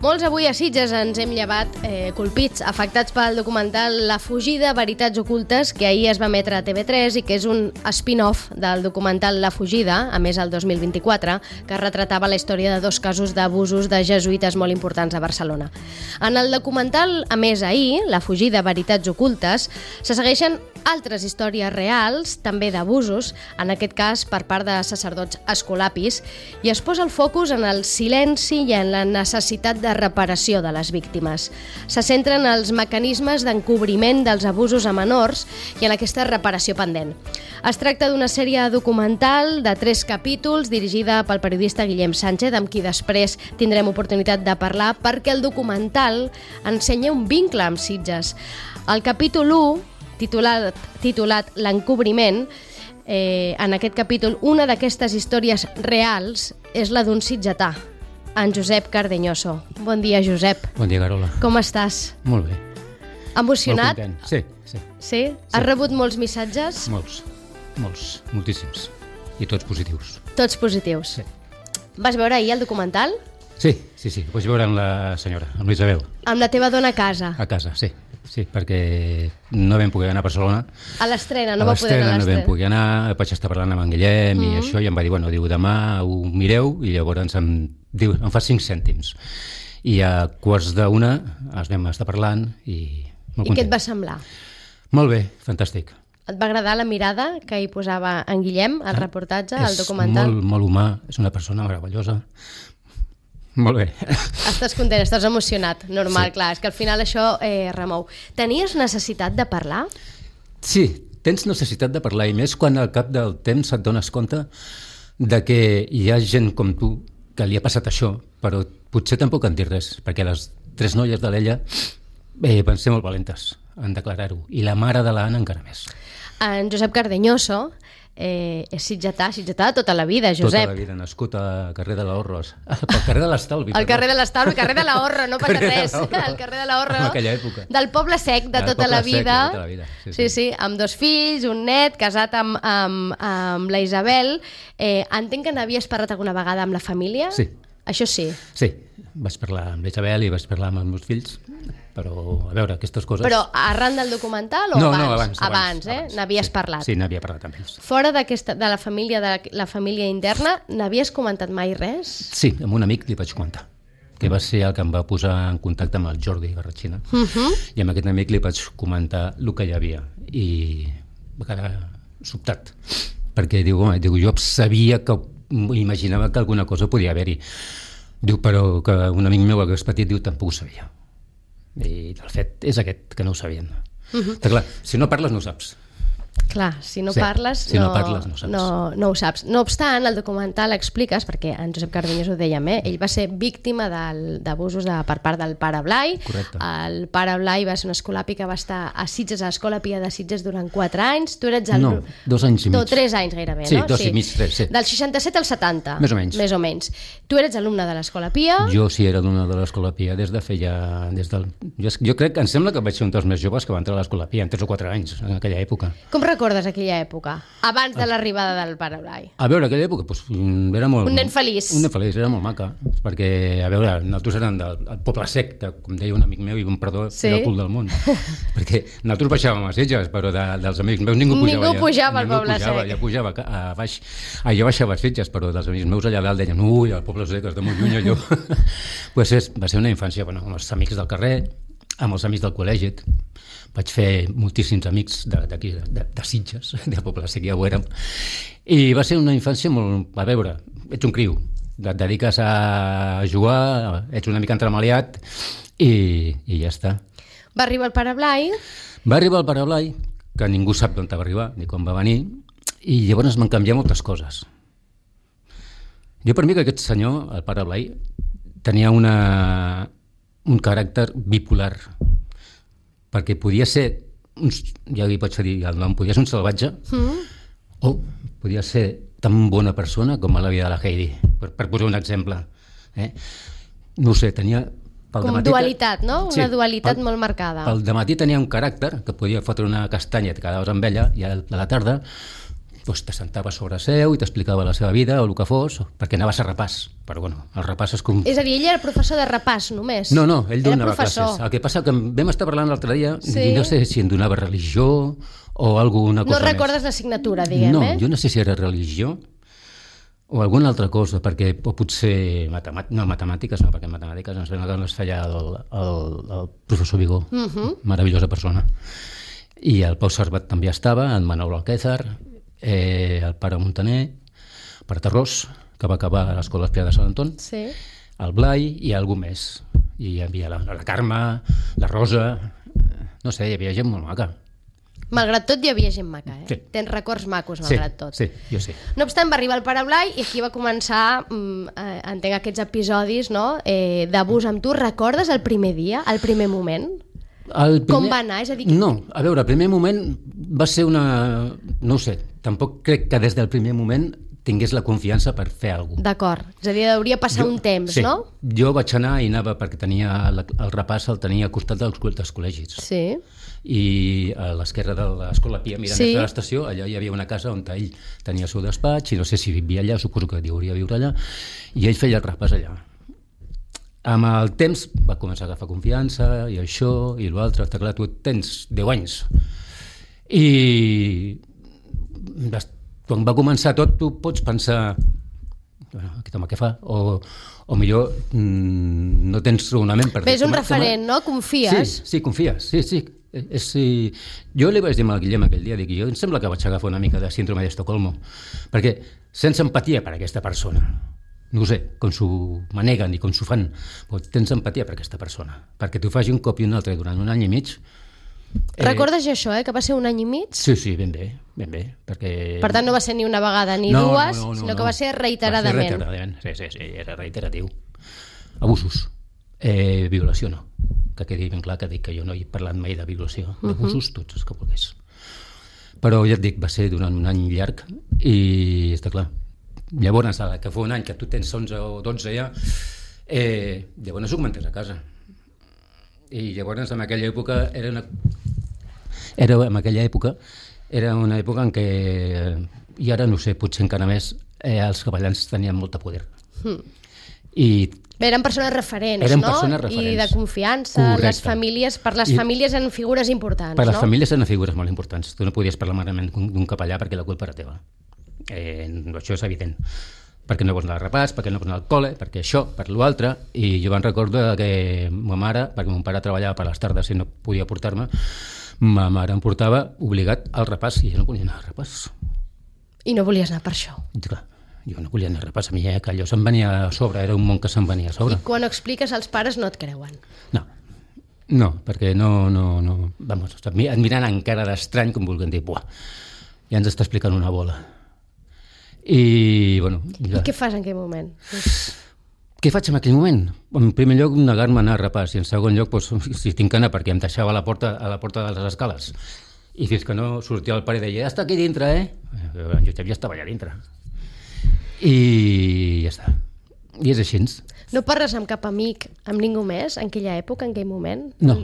Molts avui a Sitges ens hem llevat colpits, afectats pel documental La fugida, veritats ocultes, que ahir es va emetre a TV3 i que és un spin-off del documental La fugida, a més el 2024, que retratava la història de 2 casos d'abusos de jesuïtes molt importants a Barcelona. En el documental, a més ahir, La fugida, veritats ocultes, se segueixen altres històries reals, també d'abusos, en aquest cas per part de sacerdots escolapis, i es posa el focus en el silenci i en la necessitat de reparació de les víctimes. Se centren els mecanismes d'encobriment dels abusos a menors i en aquesta reparació pendent. Es tracta d'una sèrie documental de 3 capítols dirigida pel periodista Guillem Sánchez, amb qui després tindrem oportunitat de parlar, perquè el documental ensenya un vincle amb Sitges. El capítol 1, titulat L'encobriment, en aquest capítol, una d'aquestes històries reals és la d'un sitgetà, en Josep Cardeñoso. Bon dia, Josep. Bon dia, Carola. Com estàs? Molt bé. Emocionat? Molt content. Sí. Sí? Has rebut molts missatges? Moltíssims. I tots positius. Tots positius. Sí. Vas veure ahir el documental? Sí. Ho vaig veure amb la senyora, amb l'Isabel. Amb la teva dona a casa? A casa, sí, perquè no vam poder anar a Barcelona. A l'estrena, no va poder anar a l'estrena. No vam poder anar, vaig estar parlant amb en Guillem i això, i em va dir, demà ho mireu, i llavors em fa 5 cèntims. I a 12:45 ens vam estar parlant i molt content. I què et va semblar? Molt bé, fantàstic. Et va agradar la mirada que hi posava en Guillem, al reportatge, al documental? És molt humà, és una persona meravellosa. Molt bé. Estàs content, estàs emocionat, normal, sí. Clar, és que al final això remou. Tenies necessitat de parlar? Sí, tens necessitat de parlar, i més quan al cap del temps et dones compte de que hi ha gent com tu que li ha passat això, però potser tampoc en dir res, perquè les 3 noies de l'Ella van ser molt valentes en declarar-ho, i la mare de l'Anna encara més. En Josep Cardeñoso és sitgetà tota la vida, Josep. Tota la vida, nascut al carrer de l'Ahorro, al carrer de l'Estalvi. Al carrer de l'Estalvi, al carrer de l'Ahorro, no passa res. Al carrer de l'Ahorro, en aquella època. Del poble sec de tota la vida. Sí, amb 2 fills, un net, casat amb la Isabel. Entenc que n'havies parlat alguna vegada amb la família? Sí. Això sí? Sí, vaig parlar amb la Isabel i vaig parlar amb els meus fills, però, a veure, aquestes coses... Però arran del documental o abans? No, abans. N'havies parlat? Sí, n'havia parlat amb ells. Fora de la família interna, n'havies comentat mai res? Sí, amb un amic li vaig comentar, que va ser el que em va posar en contacte amb el Jordi Barratxina, i amb aquest amic li vaig comentar el que hi havia, i va quedar sobtat, perquè jo sabia que imaginava que alguna cosa podia haver-hi. Diu, però que un amic meu que és petit, tampoc ho sabia. I el fet és aquest, que no ho sabien. Clar, si no parles no ho saps. Clar, si no parles no ho saps. No obstant, el documental expliques, perquè en Josep Cardenyós ho dèiem, ell va ser víctima d'abusos per part del pare Blai. Correcte. El pare Blai va ser un escolapi que va estar a Sitges, a l'Escola Pia de Sitges, durant 4 anys. Tu eres No, 2 anys i mig. 3 anys gairebé, sí, no? 2 i mig, 3, sí. Del 67 al 70. Més o menys. Tu eres alumne de l'Escola Pia? Jo sí era alumne de l'Escola Pia des feia... Jo crec que em sembla que vaig ser un dels més joves que va entrar a l'Escola Pia, en 3 o 4 anys, en aquella època. Com recordes aquella època, abans de l'arribada del pare Blai? A veure, aquella època era molt... Un nen feliç. Un nen feliç, era molt maca, perquè, a veure, nosaltres érem del poble sec, com deia un amic meu, i un perdó, era el cul del món, perquè nosaltres baixàvem a Sitges, però dels amics meus ningú pujava al poble sec. Ja pujava a baix. Jo baixava a Sitges, però dels amics meus allà dalt deien, ui, el poble sec és de molt lluny, allò. Va ser una infància, amb els amics del carrer, amb els amics del col·legi. Vaig fer moltíssims amics d'aquí, de Sitges, del poble sec, ja ho érem. I va ser una infància molt... A veure, ets un criu, et dediques a jugar, ets una mica entremaliat i ja està. Va arribar el pare Blai? Va arribar el pare Blai, que ningú sap d'on va arribar ni com va venir, i llavors van canviar moltes coses. Jo per mi que aquest senyor, el pare Blai, tenia un caràcter bipolar, perquè podia ser, ja li pots dir el nom, podia ser un salvatge, o podia ser tan bona persona com l'àvia de la Heidi, per posar un exemple. No ho sé, tenia... Com dualitat, no? Una dualitat molt marcada. Al dematí tenia un caràcter, que podia fotre una castanya i et quedaves amb ella, i a la tarda t'assentava sobre seu i t'explicava la seva vida o el que fos, perquè anaves a repàs. Però bueno, el repàs és com... És a dir, ell era professor de repàs només? No, ell donava classes. El que passa que vam estar parlant l'altre dia, i no sé si em donava religió o alguna cosa més. No recordes l'assignatura, diguem, No, jo no sé si era religió o alguna altra cosa, perquè potser matemàtiques no, perquè matemàtiques ens feia el professor Vigó, meravellosa persona. I el Pau Servat també estava, en Manuel Alquézar, el pare Montaner, el pare Tarrós, que va acabar a l'Escola Espia de Sant Anton, el Blai i algú més. I hi havia la Carme, la Rosa, no sé, hi havia gent molt maca. Malgrat tot hi havia gent maca, eh? Sí. Tens records macos, malgrat tot. Sí, jo sí. No obstant, va arribar el pare Blai i aquí va començar, entenc, aquests episodis, no?, d'abús amb tu. Recordes el primer dia, el primer moment? Com va anar? És a dir... No, a veure, el primer moment va ser una... No ho sé, tampoc crec que des del primer moment tingués la confiança per fer alguna cosa. D'acord, és a dir, hauria passat un temps, no? Sí, jo vaig anar i anava perquè tenia el repàs el tenia al costat dels col·legis. Sí. I a l'esquerra de l'Escola Pia, mirant des de l'estació, allà hi havia una casa on ell tenia el seu despatx, i no sé si vivia allà, suposo que hauria de viure allà, i ell feia el repàs allà. Amb el temps va començar a agafar confiança, i això, i l'altre, està clar, tu tens 10 anys. I quan va començar tot, tu pots pensar, aquest home què fa? O millor no tens raonament per dir... És un referent, no? Confies? Sí, confies, sí. Jo li vaig dir al Guillem aquell dia, dic, jo em sembla que vaig agafar una mica de síndrome d'Estocolmo, perquè sense empatia per aquesta persona, no ho sé, com s'ho maneguen i com s'ho fan, però tens empatia per aquesta persona, perquè t'ho faci un cop i un altre durant un any i mig. Recordes això, que va ser un any i mig? Sí, ben bé, perquè... Per tant, no va ser ni una vegada ni dues, sinó que va ser reiteradament. Va ser reiteradament, sí, era reiteratiu. Abusos, violació no, que quedi ben clar que dic que jo no he parlat mai de violació, d'abusos tots els que volgués. Però ja et dic, va ser durant un any llarg i està clar. Llavors, que fa un any que tu tens 11 o 12 ja, llavors ho comentes a casa. I llavors en aquella època era una època en què, i ara no sé, potser encara més, els capellans tenien molta poder. Eren persones referents, I de confiança. Correcte. Per les famílies eren figures importants, Per les famílies eren figures molt importants. Tu no podies parlar malament d'un capellà perquè la culpa era teva. Això és evident. Perquè no vols anar al repàs, perquè no vols anar al col·le, perquè això, per l'altre. I jo me'n recordo que ma mare, perquè mon pare treballava per les tardes i no podia portar-me, ma mare em portava obligat al repàs i jo no volia anar al repàs. I no volies anar per això? Clar. Jo no volia anar a repàs, a mi que allò se'm venia a sobre, era un món que se'm venia a sobre. I quan ho expliques als pares no et creuen? No, perquè no, vamos, et miren encara d'estrany com vulguin dir, buah, ja ens està explicant una bola. I, bueno... I què fas en aquell moment? Què faig en aquell moment? En primer lloc, negar-me a anar a repàs, i en segon lloc, si tinc que anar, perquè em deixava a la porta de les escales, i fins que no sortia el pare i deia, ja està aquí dintre, Jo ja estava allà dintre. I ja està. I és així. No parles amb cap amic, amb ningú més, en aquella època, en aquell moment? No.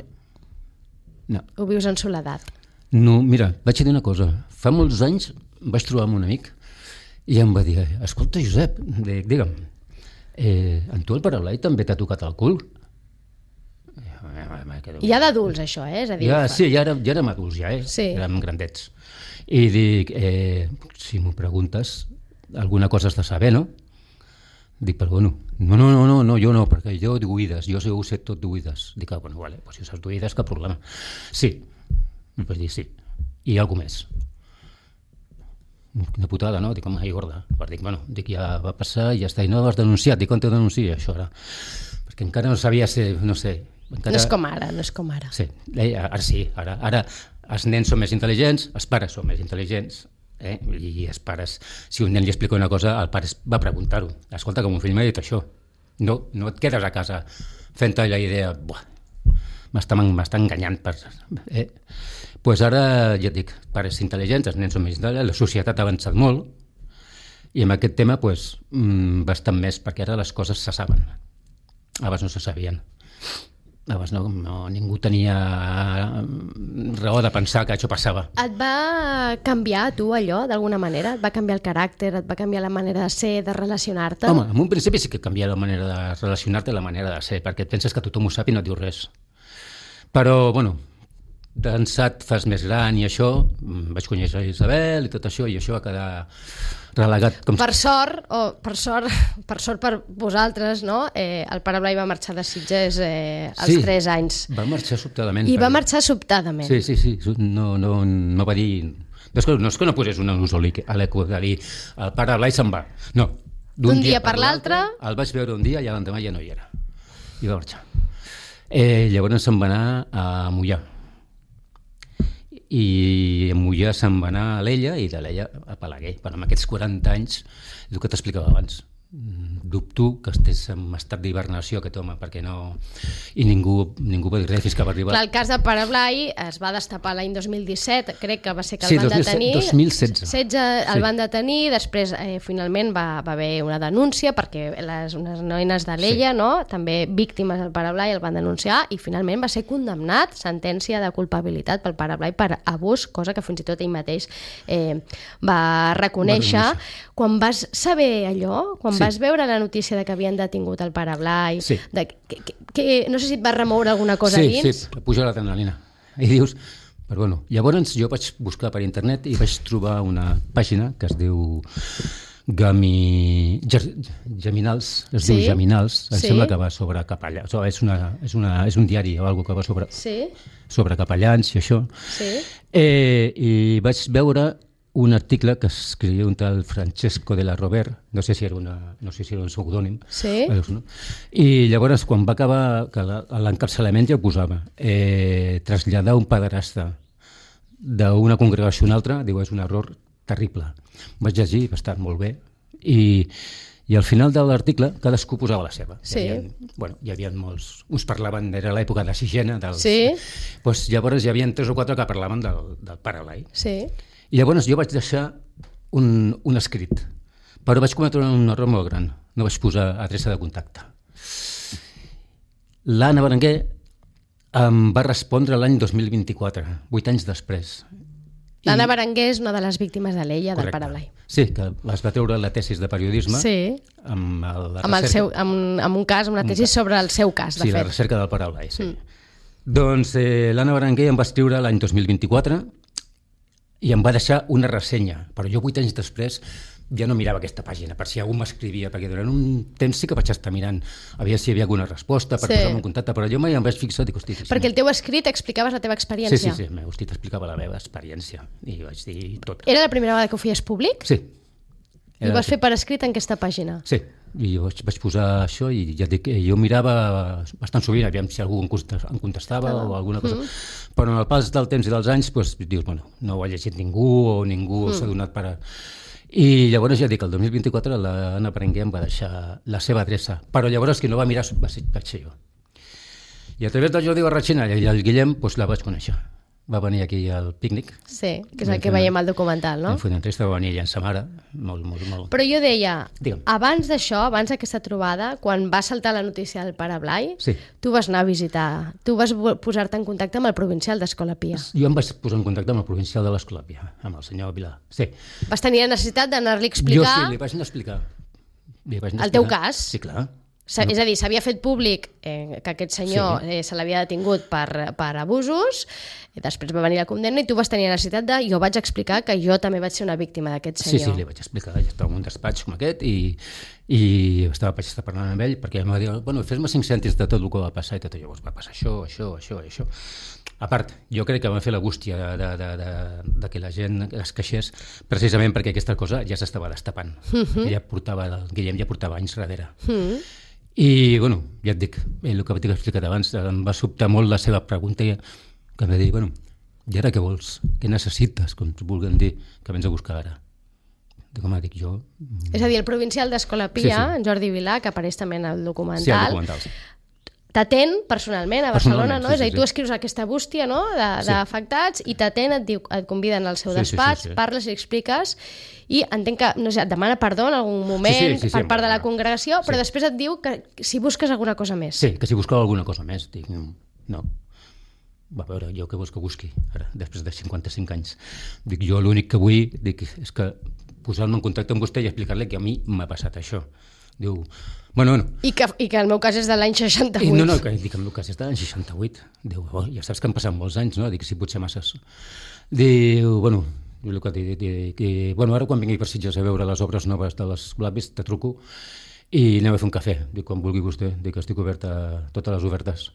Ho vius en soledat? No, mira, vaig dir una cosa. Fa molts anys vaig trobar amb un amic i em va dir, escolta, Josep, digue'm, en tu el pare Blai també t'ha tocat el cul? Ja d'adults, això, és a dir... Sí, ja érem adults, érem grandets. I dic, si m'ho preguntes, alguna cosa has de saber, no? Dic, però bueno, no, jo no, perquè jo d'oïdes, jo ho sé tot d'oïdes. Dic, bueno, vale, si ho saps d'oïdes, cap problema. Sí, em vaig dir sí. I alguna més. Una putada, no? Dic, home, gorda. Dic, bueno, ja va passar i ja està. I no has denunciat. Dic, on t'he denunciat, això ara? Perquè encara no sabia ser, no sé... No és com ara. Sí, ara sí, ara els nens són més intel·ligents, els pares són més intel·ligents, i els pares, si un nen li explica una cosa, el pare va preguntar-ho. Escolta, que mon fill m'ha dit això. No et quedes a casa fent-te la idea, m'està enganyant. Pues ara, ja et dic, pares intel·ligents, els nens són més intel·ligents, la societat ha avançat molt, i en aquest tema bastant més, perquè ara les coses se saben. Abans no se sabien. Llavors ningú tenia raó de pensar que això passava. Et va canviar tu allò, d'alguna manera? Et va canviar el caràcter, et va canviar la manera de ser, de relacionar-te? Home, en un principi sí que canvia la manera de relacionar-te i la manera de ser, perquè et penses que tothom ho sap i no et diu res. Però, bueno, d'ençà et fas més gran i això, vaig conèixer Isabel i tot això, i això va quedar relegat. Per sort per vosaltres, no? El Pare Blai va marxar de Sitges als 3 anys. Va marxar sobtadament. I va marxar sobtadament. Sí. No va dir... No és que no posés un ús a l'eco de dir el Pare Blai se'n va. No. D'un dia per l'altre... El vaig veure un dia i l'endemà ja no hi era. I va marxar. Llavors se'n va anar a Moià. I a Moià se'n va anar a l'Ella i de l'Ella a Balaguer. Però amb aquests 40 anys, és el que t'explicava abans, dubto que estés en estat d'hibernació aquest home, perquè no... I ningú va dir res fins que va arribar... Clar, el cas de Pare Blai es va destapar l'any 2017, crec que va ser que el van detenir... 2016. El van detenir, després finalment va haver una denúncia, perquè unes noines de l'Ella, no? També víctimes del Pare Blai, el van denunciar, i finalment va ser condemnat, sentència de culpabilitat pel Pare Blai per abús, cosa que fins i tot ell mateix va reconèixer. Quan vas saber allò, quan vas veure la notícia de que havien detingut el Pare Blai, no sé si et va remoure alguna cosa dins? Sí, puja l'adrenalina. I dius... Però bueno, llavors jo vaig buscar per internet i vaig trobar una pàgina que es diu Geminals, diu Geminals, em sembla que va sobre capellans, és un diari o alguna cosa que va sobre capellans i això. I vaig veure un article que escrivia un tal Francesco de la Rover, no sé si era un pseudònim, i llavors quan va acabar l'encapçalament ja ho posava, traslladar un pederasta d'una congregació a una altra, diu, és un error terrible. Vaig llegir, va estar molt bé, i al final de l'article cadascú posava la seva. Hi havia molts, uns parlaven, era l'època de Sigena, llavors hi havia 3 o 4 que parlaven del Pare Blai. I llavors jo vaig deixar un escrit, però vaig cometre un error molt gran, no vaig posar adreça de contacte. L'Anna Berenguer em va respondre l'any 2024, 8 anys després. L'Anna Berenguer és una de les víctimes de l'Ella, del Pare Blai. Sí, que es va treure la tesis de periodisme amb una tesi sobre el seu cas, de fet. Sí, la recerca del Pare Blai, sí. Doncs l'Anna Berenguer em va escriure l'any 2024 i em va deixar una ressenya, però jo 8 anys després ja no mirava aquesta pàgina per si algú m'escrivia, perquè durant un temps sí que vaig estar mirant a veure si hi havia alguna resposta per posar-me en contacte, però jo mai em vaig fixar i dic, hosti... Perquè el teu escrit explicaves la teva experiència. Sí, el meu escrit explicava la meva experiència i vaig dir tot. Era la primera vegada que ho feies públic? Sí. I ho vas fer per escrit en aquesta pàgina? Sí, i vaig posar això i ja dic, jo mirava bastant sovint, aviam si algú em contestava o alguna cosa, però en el pas del temps i dels anys dius, bueno, no ho ha llegit ningú o ningú s'ha donat per... I llavors ja dic, el 2024 l'Anna Berenguer em va deixar la seva adreça, però llavors qui no va mirar vaig ser jo. I a través del Jordi Barratxina i el Guillem la vaig conèixer. Va venir aquí al pícnic. Sí, que és el que veiem al documental, no? Vam fer una entrevista, va venir ella en sa mare, molt. Però jo deia, abans d'això, abans d'aquesta trobada, quan va saltar la notícia del Pare Blai, tu vas anar a visitar, tu vas posar-te en contacte amb el provincial d'Escola Pia. Jo em vaig posar en contacte amb el provincial de l'Escola Pia, amb el senyor Vilà, sí. Vas tenir la necessitat d'anar-li a explicar... Jo sí, li vaig anar a explicar. El teu cas? Sí, clar. És a dir, s'havia fet públic que aquest senyor se l'havia detingut per abusos, després va venir la condemna i tu vas tenir la necessitat de... Jo vaig explicar que jo també vaig ser una víctima d'aquest senyor. Sí, li vaig explicar. Jo estava en un despatx com aquest i vaig estar parlant amb ell perquè em va dir, bueno, fes-me 5 cèntims de tot el que va passar i tot. Llavors va passar això. A part, jo crec que va fer la bústia de que la gent es queixés precisament perquè aquesta cosa ja s'estava destapant. El Guillem ja portava anys darrere. I, bueno, ja et dic, el que t'he explicat abans, em va sobtar molt la seva pregunta que em va dir, bueno, i ara què vols? Què necessites? Com t'ho vulguin dir, que vens a buscar ara? Com dic jo... És a dir, el provincial d'Escola Pia, en Jordi Vilà, que apareix també en el documental, t'atén personalment a Barcelona, no? És a dir, tu escrius aquesta bústia, no?, d'afectats i t'atén, et conviden al seu despatx, parles i expliques i entenc que, no sé, et demana perdó en algun moment per part de la congregació, però després et diu que si busques alguna cosa més. Sí, que si buscava alguna cosa més. Dic, no. Va, a veure, jo què vols que busqui ara, després de 55 anys? Dic, jo l'únic que vull és que posar-me en contacte amb vostè i explicar-li que a mi m'ha passat això. Diu, bueno. I que el meu cas és de l'any 68. No, que dic, el meu cas és de l'any 68. Diu, ja saps que han passat molts anys, no? Dic, sí, potser masses. Diu, bueno, ara quan vingui per Sitges a veure les obres noves de les Blavis, te truco i anem a fer un cafè. Dic, quan vulgui vostè, dic que estic obert a totes les ofertes.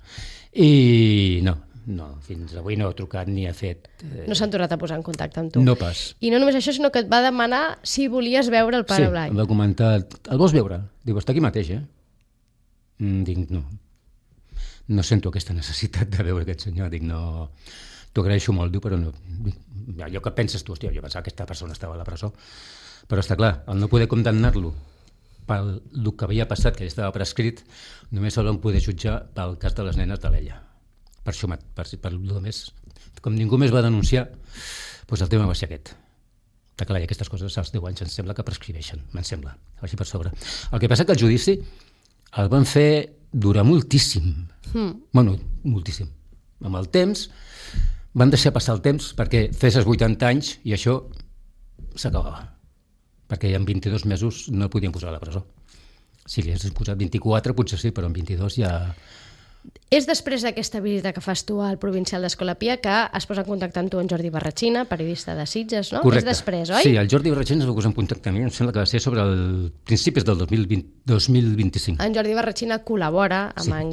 I no, fins avui no ha trucat ni ha fet... No s'han tornat a posar en contacte amb tu. No pas. I no només això, sinó que et va demanar si volies veure el pare Blai. Sí, em va comentar, el vols veure? Diu, està aquí mateix, Dic, no. No sento aquesta necessitat de veure aquest senyor. Dic, no, t'ho agraeixo molt, diu, però no. Allò que penses tu, hòstia, jo pensava que aquesta persona estava a la presó. Però està clar, el no poder condemnar-lo pel que havia passat, que ja estava prescrit, només el vam poder jutjar pel cas de les nenes de l'Ella. Per això, per el més, com ningú més va denunciar, doncs el tema va ser aquest. Està clar, i aquestes coses als 10 anys em sembla que prescriveixen, me'n sembla, així per sobre. El que passa que el judici el van fer durar moltíssim. Bueno, moltíssim. Amb el temps, van deixar passar el temps perquè fessis 80 anys i això s'acabava. Perquè en 22 mesos no el podien posar a la presó. Si li haguessin posat 24, potser sí, però en 22 ja... És després d'aquesta visita que fas tu al provincial d'Escolapia que es posa en contacte amb tu en Jordi Barratxina, periodista de Sitges, no? Correcte. És després, oi? Sí, el Jordi Barratxina es va posar en contacte amb mi, em sembla que va ser sobre el principis del 2025. En Jordi Barratxina col·labora amb en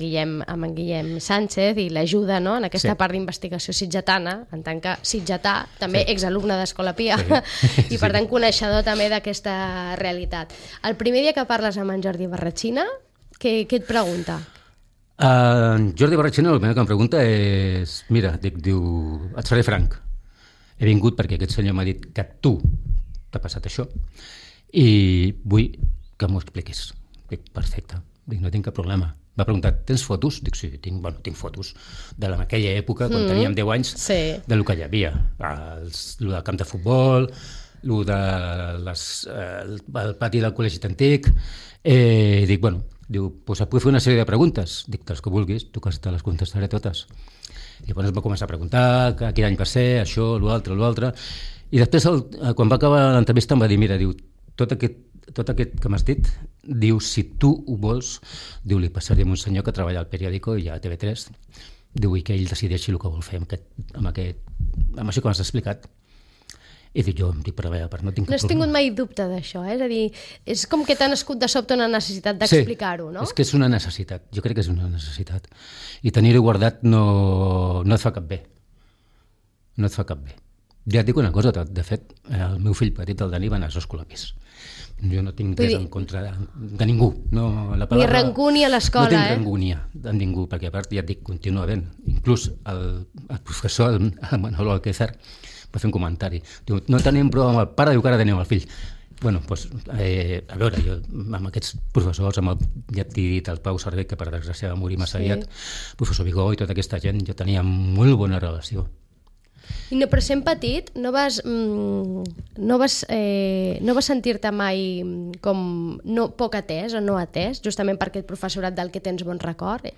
Guillem Sánchez i l'ajuda, no?, en aquesta part d'investigació sitgetana, en tant que sitgetà, també exalumne d'Escolapia, i per tant coneixedor també d'aquesta realitat. El primer dia que parles amb en Jordi Barratxina, què et pregunta? Jordi Barratxina el primer que em pregunta és, mira, diu, et seré franc, he vingut perquè aquest senyor m'ha dit que tu t'ha passat això i vull que m'ho expliquis. Dic, perfecte, dic, no tinc cap problema. M'ha preguntat, tens fotos? Dic, sí, tinc fotos de aquella època, quan teníem 10 anys, del que hi havia, el del camp de futbol, el pati del col·legi antic. Dic, bueno, diu, doncs et puc fer una sèrie de preguntes? Dic, les que vulguis, tu que te les contestaré totes. I llavors va començar a preguntar quin any va ser, això, l'altre, i després, quan va acabar l'entrevista, em va dir, mira, diu, tot aquest que m'has dit, diu, si tu ho vols, diu, li passaré a un senyor que treballa al periòdico i a TV3, diu, i que ell decideixi el que vol fer amb això que m'has explicat. I dic, jo per no tinc cap problema. No has tingut mai dubte d'això, és a dir, és com que t'ha nascut de sobte una necessitat d'explicar-ho, no? Sí, és que és una necessitat, jo crec que és una necessitat. I tenir-ho guardat no et fa cap bé. No et fa cap bé. Ja et dic una cosa, de fet, el meu fill petit, el Dani, va anar a Escolapis. Jo no tinc res en contra de ningú. Ni rancúnia a l'escola, No tinc rancúnia de ningú, perquè a part, ja et dic, continua havent. Inclús el professor, el Manolo Alquézar, va fer un comentari. Diu, no tenim prou amb el pare, diu que ara tenim el fill. Bueno, doncs, a veure, jo amb aquests professors, ja t'he dit, el Pau Cervell, que per desgràcia va morir massa aviat, professor Vigó i tota aquesta gent, jo tenia molt bona relació. Però sent petit, no vas sentir-te mai com poc atès o no atès, justament per aquest professorat del que tens bon record?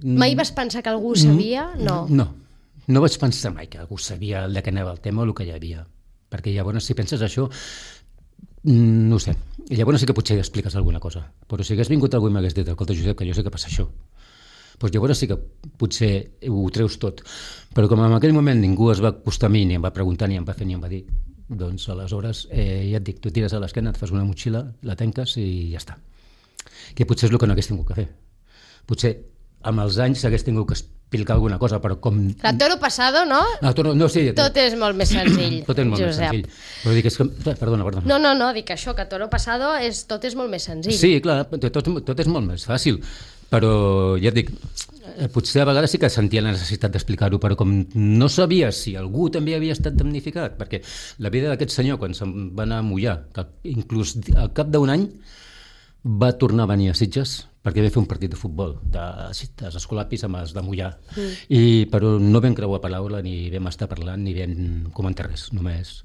Mai vas pensar que algú sabia? No. No vaig pensar mai que algú sabia de què anava el tema o el que hi havia. Perquè llavors, si penses això, no ho sé. Llavors sí que potser expliques alguna cosa. Però si hagués vingut algú i m'hagués dit, escolta, Josep, que jo sé que passa això, doncs llavors sí que potser ho treus tot. Però com en aquell moment ningú es va acostar a mi, ni em va preguntar, ni em va fer, ni em va dir, doncs aleshores, ja et dic, tu tires a l'esquena, et fas una motxilla, la tanques i ja està. Que potser és el que no hagués tingut que fer. Potser amb els anys s'hagués tingut que explicar alguna cosa, però com... Clar, tot lo passado, no? No, sí. Tot és molt més senzill, tot és molt més senzill. Però dic, és que... Perdona. No, dic això, que tot lo passado tot és molt més senzill. Sí, clar, tot és molt més fàcil, però ja et dic, potser a vegades sí que sentia la necessitat d'explicar-ho, però com no sabia si algú també havia estat damnificat, perquè la vida d'aquest senyor, quan se'n va anar a mullar, inclús al cap d'un any, va tornar a venir a Sitges perquè vam fer un partit de futbol dels escolapis amb els de Mollà, però no vam creuar paraula ni vam estar parlant ni vam comentar res, només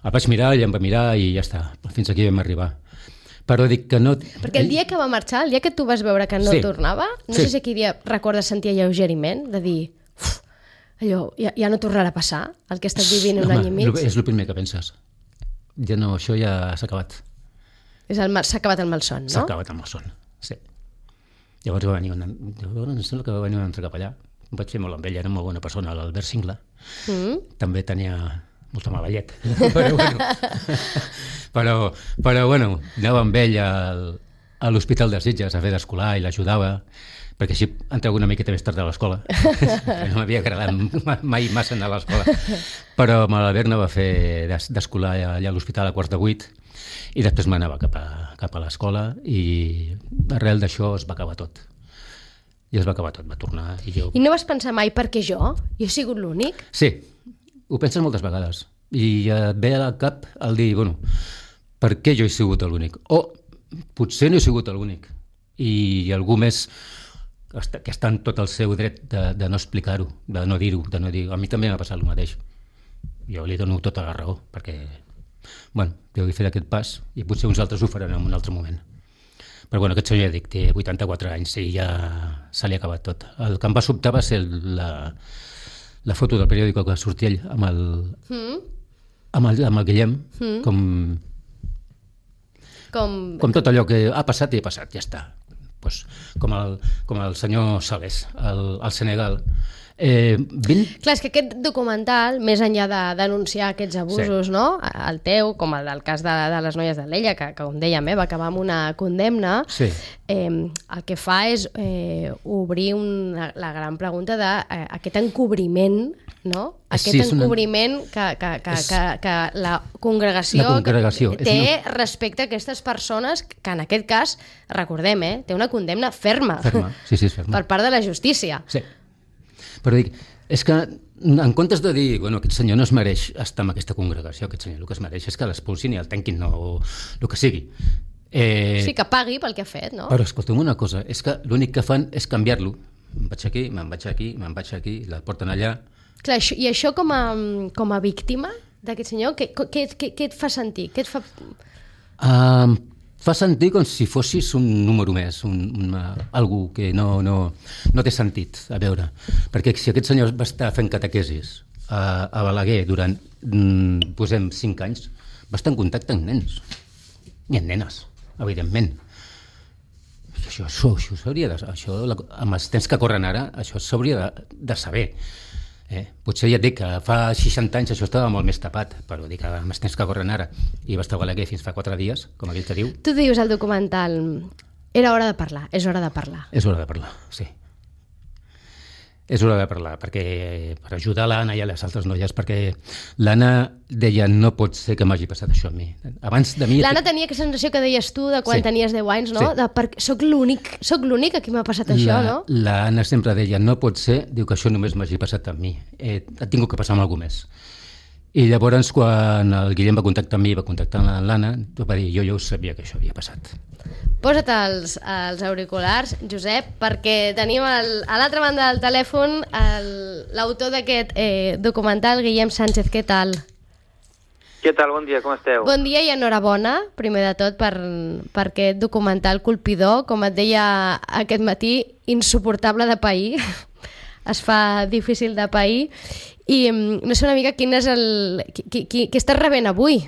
el vaig mirar, ell em va mirar i ja està, fins aquí vam arribar. Però dic que no... Perquè el dia que va marxar, el dia que tu vas veure que no tornava, no sé si aquell dia recordes sentir alleugeriment, de dir, allò, ja no tornarà a passar el que he estat vivint un any i mig. És el primer que penses. Ja no, això ja s'ha acabat. S'ha acabat el malson, no? S'ha acabat el malson, sí. Llavors va venir em sembla que va venir un altre capellà. Em vaig fer molt amb ell, era molt bona persona, l'Albert Singla. També tenia molta mala llet. Però bueno, anava amb ell a l'Hospital de Sitges a fer d'escolar i l'ajudava, perquè així entrava una miqueta més tard a l'escola. No m'havia agradat mai massa anar a l'escola. Però amb l'Albert anava a fer d'escolar allà a l'hospital a 7:45 i després m'anava cap a l'escola i arrel d'això es va acabar tot. I es va acabar tot, va tornar i jo... I no vas pensar mai, per què jo? Jo he sigut l'únic? Sí, ho penses moltes vegades. I et ve al cap el dir, bueno, per què jo he sigut l'únic? O potser no he sigut l'únic. I algú més que està en tot el seu dret de no explicar-ho, de no dir-ho, de no dir... A mi també m'ha passat el mateix. Jo li dono tota la raó, perquè, bueno, jo he fet aquest pas i potser uns altres ho faran en un altre moment. Però bueno, aquest senyor, ja dic, té 84 anys i ja se li ha acabat tot. El que em va sobtar va ser la foto del periòdico que sortia ell amb el Guillem, com tot allò que ha passat i ha passat, ja està. Pues, com el senyor Sales, al Senegal. Clar, és que aquest documental, més enllà de denunciar aquests abusos, no? El teu, com el del cas de les noies de l'Ella, que com dèiem, va acabar amb una condemna, el que fa és obrir la gran pregunta d'aquest encobriment, no? Aquest encobriment que la congregació té respecte a aquestes persones que en aquest cas, recordem, té una condemna ferma. Sí, ferma. Per part de la justícia. Sí. Però dic, és que en comptes de dir, bueno, aquest senyor no es mereix estar en aquesta congregació, aquest senyor el que es mereix és que l'expulsin i el tanquin, o el que sigui. Sí, que pagui pel que ha fet, no? Però escolta'm una cosa, és que l'únic que fan és canviar-lo. Me'n vaig aquí, me'n vaig aquí, la porten allà. Clar, i això com a víctima d'aquest senyor, què et fa sentir? Què et fa... Fa sentir com si fossis un número més, algú que no té sentit a veure. Perquè si aquest senyor va estar fent catequesis a Balaguer durant, posem, 5 anys, va estar en contacte amb nens i amb nenes, evidentment. Això s'hauria de... amb els temps que corren ara, això s'hauria de saber. Potser ja et dic que fa 60 anys això estava molt més tapat, però dic que amb els temps que corren ara i va estar a Balaguer fins fa 4 dies, com aquell que diu. Tu dius al documental, era hora de parlar, és hora de parlar. És hora de parlar, sí. És hora de parlar, perquè per ajudar l'Anna i a les altres noies, perquè l'Anna deia, no pot ser que m'hagi passat això a mi. Abans de mi... L'Anna tenia aquesta sensació que deies tu de quan tenies 10 anys, no? Soc l'únic a qui m'ha passat això, no? L'Anna sempre deia, no pot ser, diu que això només m'hagi passat a mi. Ha tingut que passar amb algú més. I llavors, quan el Guillem va contactar amb mi, va contactar amb l'Anna, va dir, jo ja ho sabia que això havia passat. Posa't els auriculars, Josep, perquè tenim a l'altra banda del telèfon l'autor d'aquest documental, Guillem Sánchez. Què tal? Què tal? Bon dia, com esteu? Bon dia i enhorabona, primer de tot, per aquest documental colpidor, com et deia aquest matí, insuportable de pair. Es fa difícil de pair. I no sé una mica quin és què estàs rebent avui?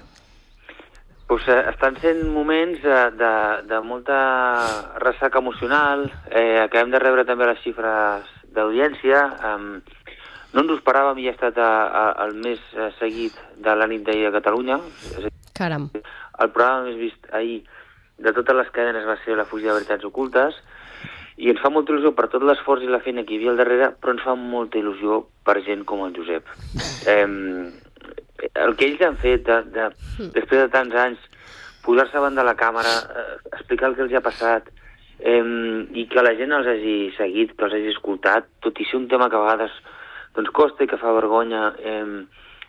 Pues, estan sent moments de molta ressaca emocional. Acabem de rebre també les xifres d'audiència. No ens ho esperàvem i ha estat el més seguit de la nit d'ahir a Catalunya. Caram. El programa més vist ahir de totes les cadenes va ser La fugida de veritats ocultes. I ens fa molta il·lusió per tot l'esforç i la feina que hi havia al darrere, però ens fa molta il·lusió per gent com el Josep. El que ells han fet, després de tants anys, posar-se davant de la càmera, explicar el que els ha passat, i que la gent els hagi seguit, que els hagi escoltat, tot i ser un tema que a vegades costa i que fa vergonya,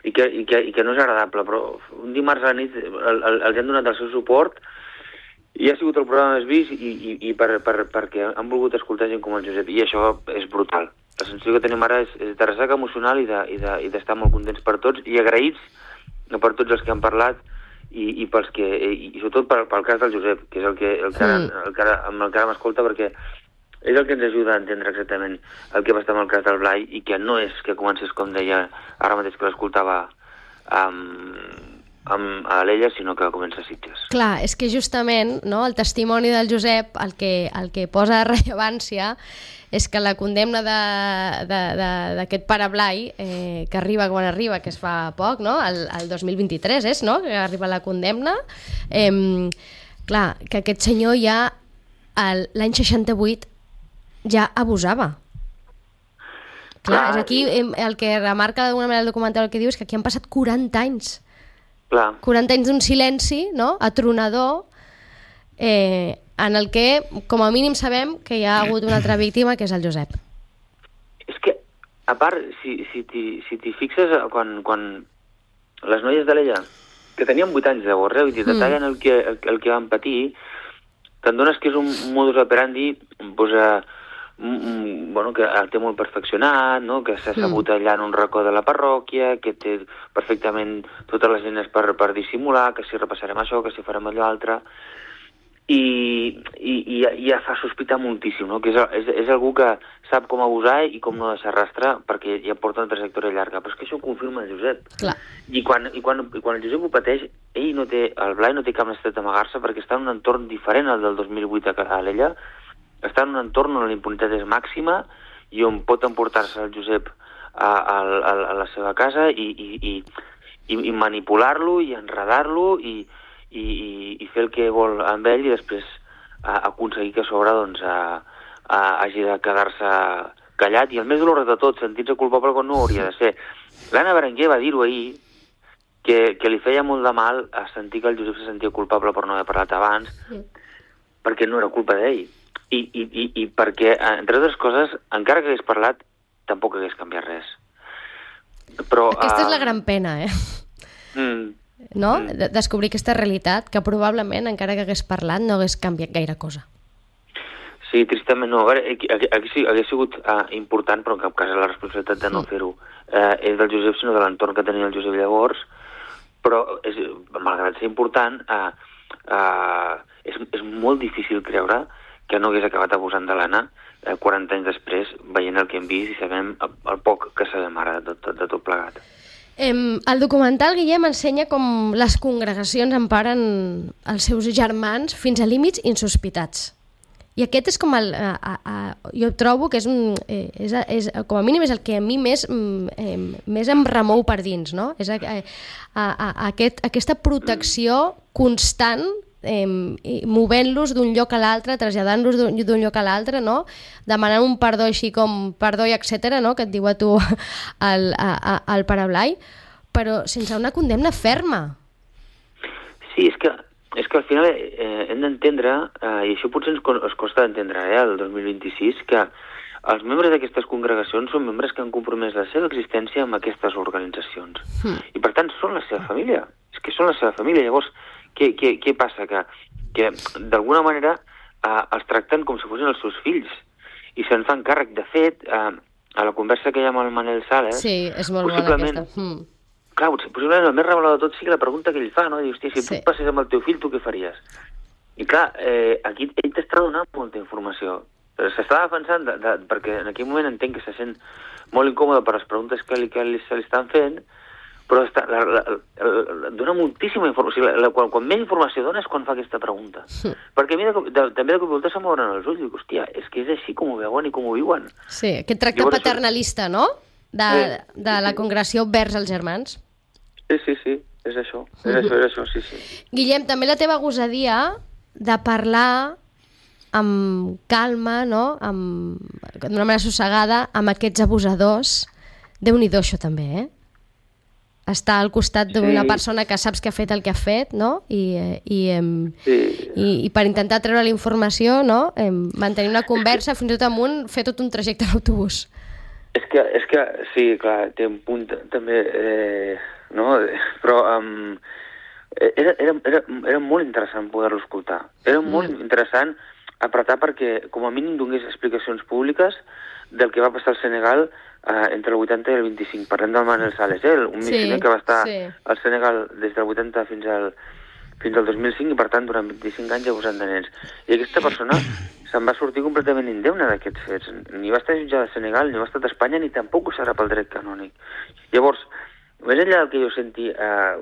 i que no és agradable, però un dimarts a la nit els han donat el seu suport I ha sigut el programa més vist i perquè han volgut escoltar gent com el Josep, i això és brutal. La sensació que tenim ara és de ressaca emocional i d'estar molt contents per tots i agraïts per tots els que han parlat i pels que, i sobretot pel cas del Josep, que és el que ara m'escolta, perquè és el que ens ajuda a entendre exactament el que va estar amb el cas del Blai i que no és que comencés, com deia ara mateix que l'escoltava a l'Ella, sinó que comença a Sitges. Clar, és que justament, no, el testimoni del Josep el que posa rellevància és que la condemna d'aquest pare Blai, que arriba quan arriba, que es fa poc, no? El 2023 és, no?, que arriba la condemna. Clar, que aquest senyor ja l'any 68 ja abusava. Clar, és aquí el que remarca d'alguna manera el documental, el que diu és que aquí han passat 40 anys. Clar. 40 anys d'un silenci, no?, atronador, en el que, com a mínim, sabem que hi ha hagut una altra víctima, que és el Josep. És que, a part, si t'hi fixes, quan les noies de l'Ella, que tenien 8 anys llavors, i detallen el que van patir, t'adones que és un modus operandi, bueno, que el té molt perfeccionat, no? Que s'ha sabut allà en un racó de la parròquia, que té perfectament totes les eines per dissimular, que si repassarem això, que si farem allò altre, i ja fa sospitar moltíssim, no? Que és algú que sap com abusar i com no deixar rastre, perquè ja porta una trajectòria llarga, però és que això ho confirma el Josep. Clar. I quan el Josep ho pateix, el Blai no té cap necessitat d'amagar-se, perquè està en un entorn diferent al del 2008 a l'Ella, està en un entorn on la impunitat és màxima i on pot emportar-se el Josep a la seva casa i manipular-lo i enredar-lo i fer el que vol amb ell i després aconseguir que a sobre doncs, hagi de quedar-se callat. I el més dolorós de tot, sentir-se culpable quan no hauria de ser. L'Anna Berenguer va dir-ho ahir, que li feia molt de mal a sentir que el Josep se sentia culpable per no haver parlat abans, perquè no era culpa d'ell. I perquè, entre altres coses, encara que hagués parlat, tampoc hagués canviat res. Però, aquesta és la gran pena, no? Descobrir aquesta realitat, que probablement, encara que hagués parlat, no hagués canviat gaire cosa. Sí, tristament no. A veure, hagués sigut important, però en cap cas la responsabilitat de no fer-ho és del Josep, sinó de l'entorn que tenia el Josep llavors, però, malgrat ser important, és molt difícil creure que no hagués acabat abusant de l'Anna 40 anys després, veient el que hem vist i sabem el poc que sabem ara de tot plegat. El documental, Guillem, ensenya com les congregacions emparen els seus germans fins a límits insospitats. I aquest és com jo trobo que com a mínim és el que a mi més em remou per dins, no? És aquesta protecció constant, movent-los d'un lloc a l'altre, traslladant-los d'un lloc a l'altre, no? Demanant un perdó així com perdó i etcètera, no? Que et diu a tu el pare Blai, però sense una condemna ferma. Sí, és que al final hem d'entendre, i això potser ens costa d'entendre el 2026, que els membres d'aquestes congregacions són membres que han compromès la seva existència amb aquestes organitzacions. I per tant són la seva família. És que són la seva família. Llavors, què passa? Que d'alguna manera els tracten com si fossin els seus fills i se'n fan càrrec. De fet, a la conversa que hi ha amb el Manel Sales, sí, és molt bona aquesta. Clar, possiblement el més revelador de tot sigui la pregunta que ell fa, no? Diu, hòstia, si tu passés amb el teu fill, tu què faries? I clar, aquí ell t'està donant molta informació. S'està defensant, perquè en aquell moment entenc que se sent molt incòmode per les preguntes que se li estan fent, però dona moltíssima informació. Quan més informació dona és quan fa aquesta pregunta. Perquè a mi també de cop i volta se'm obren els ulls i dic, hòstia, és que és així com ho veuen i com ho viuen. Sí, aquest tracte paternalista, no? De la congregació vers els germans. Sí, és això. És això, sí. Guillem, també la teva gosadia de parlar amb calma, no? D'una manera sossegada, amb aquests abusadors. Déu-n'hi-do, això també, estar al costat d'una persona que saps que ha fet el que ha fet, no? I per intentar treure la informació, no? Mantenir una conversa, fins i tot amunt, fer tot un trajecte a l'autobús. És que sí, clar, té un punt també, no? Però Era molt interessant poder-lo escoltar. Era molt interessant apretar perquè, com a mínim, donés explicacions públiques del que va passar al Senegal entre el 80 i el 25. Parlem del Manel Sales, un missioner que va estar al Senegal des del 80 fins al 2005 i, per tant, durant 25 anys abusant de nens. I aquesta persona se'n va sortir completament indemne d'aquests fets. Ni va estar jutjada a Senegal, ni va estar a Espanya, ni tampoc ho serà pel dret canònic. Llavors, més enllà del que jo senti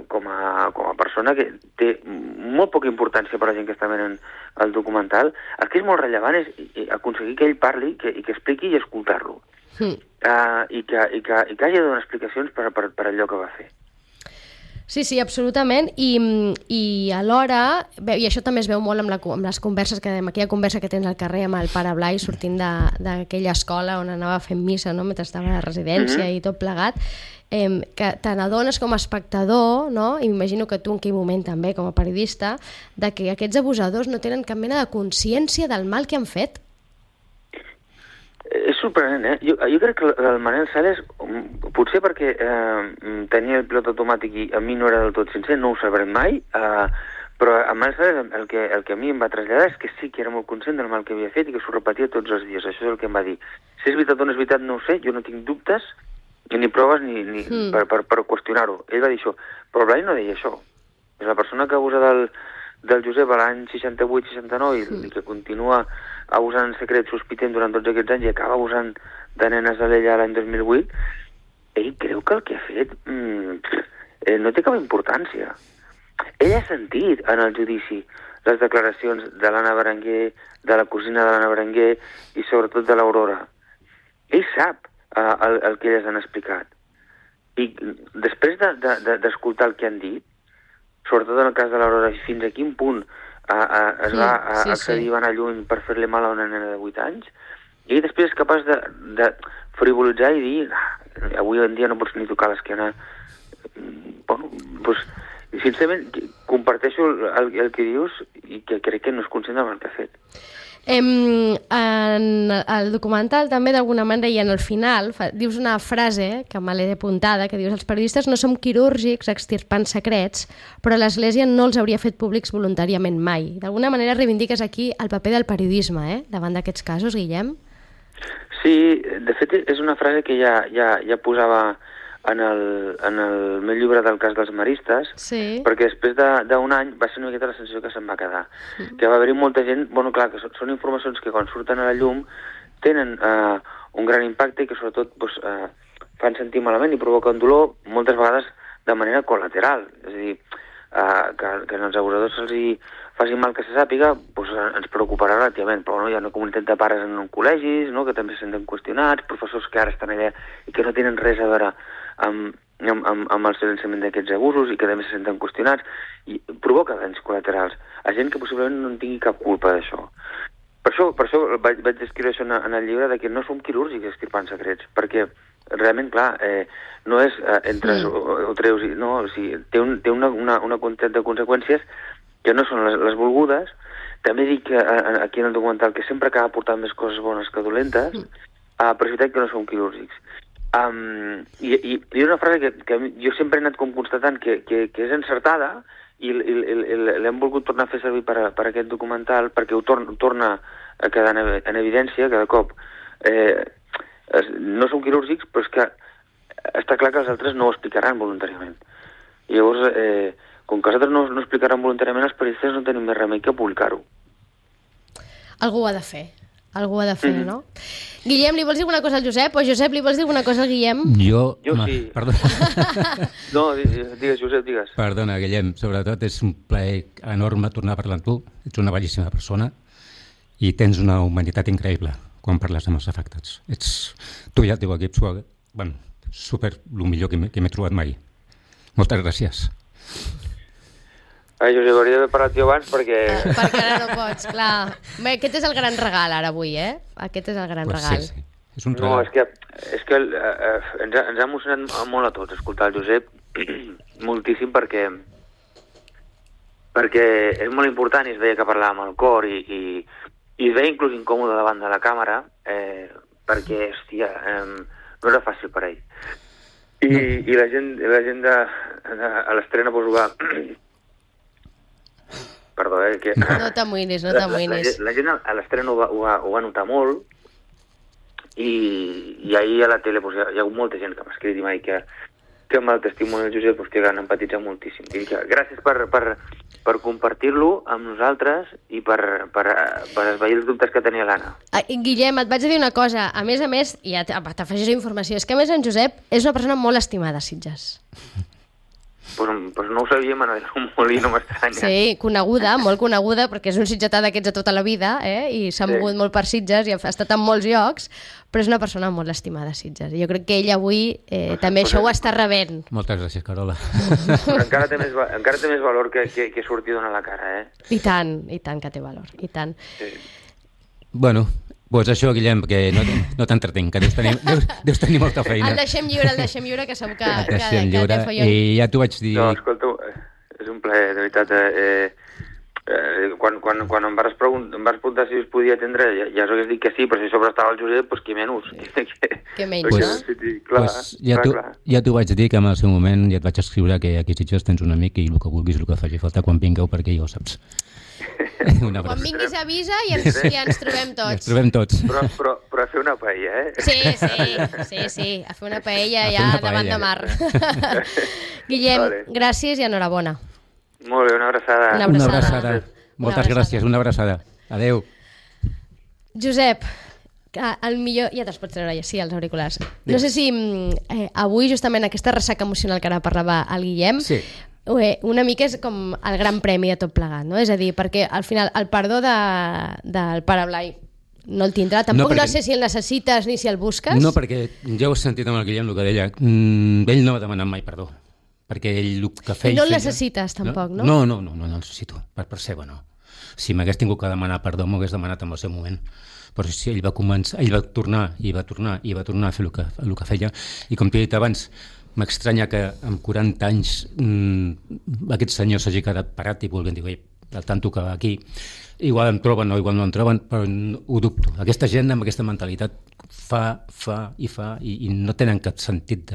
com a persona, que té molt poca importància per a la gent que està veient el documental, el que és molt rellevant és aconseguir que ell parli i que expliqui i escoltar-lo. I que hagi de donar explicacions per allò que va fer. Sí, absolutament, i alhora, i això també es veu molt amb les converses, amb aquella conversa que tens al carrer amb el pare Blai sortint d'aquella escola on anava fent missa, no?, mentre estava a la residència i tot plegat, que te n'adones com a espectador, no?, i m'imagino que tu en aquell moment també com a periodista, de que aquests abusadors no tenen cap mena de consciència del mal que han fet. És sorprenent, Jo crec que el Manel Sales, potser perquè tenia el pilot automàtic i a mi no era del tot sincer, no ho sabrem mai, però el Manel Sales el que a mi em va traslladar és que sí que era molt conscient del mal que havia fet i que s'ho repetia tots els dies. Això és el que em va dir. Si és veritat o no és veritat no ho sé, jo no tinc dubtes ni proves ni per qüestionar-ho. Ell va dir això, però Blai no deia això. És la persona que abusa del Josep a l'any 68-69 i que continua abusant en secret, sospitent durant tots aquests anys i acaba abusant de nenes a l'ella l'any 2008, ell creu que el que ha fet no té cap importància. Ell ha sentit en el judici les declaracions de l'Anna Berenguer, de la cosina de l'Anna Berenguer i sobretot de l'Aurora. Ell sap el que elles han explicat. I després d'escoltar el que han dit, sobretot en el cas de l'Aurora, fins a quin punt es va accedir i va anar lluny per fer-li mal a una nena de 8 anys, i després és capaç de frivolitzar i dir avui en dia no pots ni tocar l'esquena. Doncs, sincerament, comparteixo el que dius i que crec que no és conscient del que ha fet. En el documental també d'alguna manera i en el final dius una frase que me l'he apuntada, que dius: els periodistes no som quirúrgics extirpant secrets, però l'Església no els hauria fet públics voluntàriament mai. D'alguna manera reivindiques aquí el paper del periodisme, davant d'aquests casos, Guillem? Sí, de fet és una frase que ja posava en el meu llibre del cas dels maristes, perquè després d'un any va ser una miqueta la sensació que se'n va quedar. Que va haver-hi molta gent, clar, que són informacions que quan surten a la llum tenen un gran impacte i que sobretot fan sentir malament i provoquen dolor, moltes vegades de manera col·lateral. És a dir, que als abusadors se'ls faci mal que se sàpiga, ens preocuparà relativament, però hi ha una comunitat de pares en col·legis, que també se senten qüestionats, professors que ara estan allà i que no tenen res a veure amb el silenciament d'aquests abusos i que també se senten qüestionats, i provoca danys col·laterals a gent que possiblement no en tingui cap culpa d'això. Per això vaig descriure això en el llibre, que no som quirúrgics extirpant secrets, perquè realment, clar, no és entres o treus, no, o sigui, té una quantitat de conseqüències que no són les volgudes. També dic aquí en el documental que sempre acaba portant més coses bones que dolentes, però és veritat que no som quirúrgics. I una frase que jo sempre he anat com constatant que és encertada i l'hem volgut tornar a fer servir per aquest documental perquè ho torna a quedar en evidència cada cop. No som quirúrgics, però és que està clar que els altres no ho explicaran voluntàriament. I llavors, com que els altres no ho explicaran voluntàriament, els periodistes no tenim més remei que publicar-ho. Algú ho ha de fer. Algú ha de fer, no? Guillem, li vols dir alguna cosa al Josep? O Josep, li vols dir alguna cosa al Guillem? Jo sí. Perdona. No, digues, Josep, digues. Perdona, Guillem, sobretot és un plaer enorme tornar a parlar amb tu. Ets una bellíssima persona i tens una humanitat increïble quan parles amb els afectats. Tu i el teu equip sou, super el millor que m'he trobat mai. Moltes gràcies. Josep, hauria d'haver parlat jo abans perquè... Perquè ara no pots, clar. Bé, aquest és el gran regal ara avui, Aquest és el gran regal. Sí. És un regal. No, és que ens ha emocionat molt a tots escoltar el Josep, moltíssim, perquè és molt important i es veia que parlava amb el cor i es veia inclús incòmode davant de la càmera perquè, hòstia, no era fàcil per ell. I la gent a l'estrena va perdó, que... No t'amoïnis, no t'amoïnis. La gent a l'estrena ho va notar molt, i ahir a la tele hi ha hagut molta gent que m'ha escrit i m'ha dit que amb el testimoni del Josep que han empatitzat moltíssim. Gràcies per compartir-lo amb nosaltres i per esvair els dubtes que tenia l'Anna. Guillem, et vaig a dir una cosa. A més, ja t'afegeixo informació, és que a més en Josep és una persona molt estimada a Sitges. Pues no ho sabia, Manuel Molí, no m'estranya. Sí, coneguda, molt coneguda, perquè és un sitgetà d'aquests de tota la vida, i s'ha mogut molt per Sitges i ha estat en molts llocs, però és una persona molt estimada a Sitges. Jo crec que ell avui també això ho està rebent. Moltes gràcies, Carola. Encara té més valor que sortir a donar la cara, I tant que té valor, i tant. Sí. Bueno, doncs això, Guillem, que no t'entretenc, que deus tenir molta feina. El deixem lliure, que segur que té follon. I ja t'ho vaig dir... No, escolta, és un plaer, de veritat. Quan em vas preguntar si us podia atendre, ja us hagués dit que sí, però si sobre estava el Josep, doncs qui menys. Que menys, no? Clar. Ja t'ho vaig dir, que en el seu moment ja et vaig escriure que aquí a Sitges tens un amic i el que vulguis, el que faci falta quan vingueu, perquè ja ho saps. Quan vinguis avisa i ens trobem tots. Ens trobem tots. Però a fer una paella, Sí, a fer una paella ja davant de mar. Guillem, gràcies i enhorabona. Molt bé, una abraçada. Una abraçada. Moltes gràcies, una abraçada. Adéu. Josep, el millor... Ja te'ls pots treure, sí, els auriculars. No sé si avui, justament, aquesta ressaca emocional que ara parlava el Guillem, una mica és com el gran premi de tot plegat, no? És a dir, perquè al final el perdó del pare Blai no el tindrà, tampoc no sé si el necessites ni si el busques. No, perquè ja ho he sentit amb el Guillem, el que deia, ell no m'ha demanat mai perdó, perquè ell el que feia... I no el necessites tampoc, no? No el necessito, per seva no. Si m'hagués tingut que demanar perdó, m'ho hagués demanat en el seu moment. Però si ell va tornar a fer el que feia, i com t'he dit abans, m'estranya que amb 40 anys aquest senyor s'hagi quedat parat i vulguin dir, el tanto que va aquí, igual em troben o igual no em troben, però ho dubto. Aquesta gent amb aquesta mentalitat fa i no tenen cap sentit